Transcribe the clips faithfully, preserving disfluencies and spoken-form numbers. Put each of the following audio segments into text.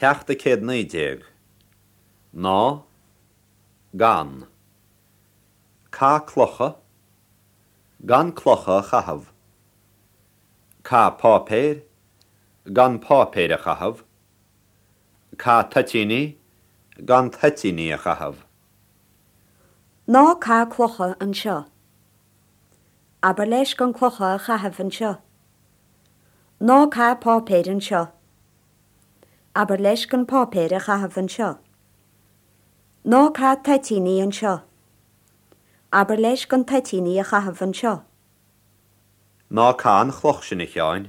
Ceacht a céad naoi déag. Ná. Gan. Caith clocha. Gan clocha a chaitheamh. Caith páipéir. Gan páipéir a chaitheamh. Caith toitíní. Gan toitíní a chaitheamh. Ná caith clocha anseo. Abair leis gan clocha a chaitheamh anseo. Ná caith páipéir anseo. Abair leis gan páipéir a chaitheamh anseo. Ná caith toitíní anseo. Abair leis gan toitíní a chaitheamh anseo. Ná caith an chloch sin a Sheáin.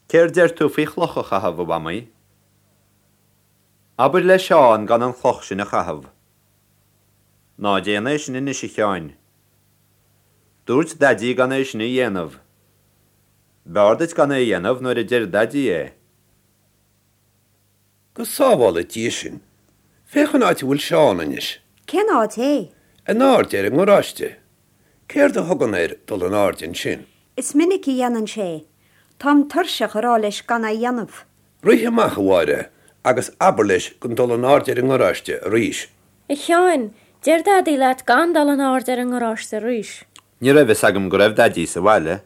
Céard deir tú faoi chloch a chaitheamh a Mhamaí? Abair le Seán gan an chloch sin a chaitheamh. Ná déan é sin anois a Sheáin. Dúirt Daidí gan é sin a dhéanamh. B'fhearr duit gan é a dhéanamh nuair a deir Daidí é. Go sábhála Dia sinn. Féach an áit a bhfuil Seán anois. Cén áit é? In airde ar an ngaráiste. Céard a thugann air dul in airde ansin? Is minic a dhéanann sé. Táim tuirseach a rá leis gan é a dhéanamh. Rith amach a Mháire agus abair leis gan dul in airde ar an ngaráiste arís. A Sheáin, deir Daidí leat gan dul in airde ar an ngaráiste arís. Ní raibh fhios agam go raibh Daidí sa bhaile.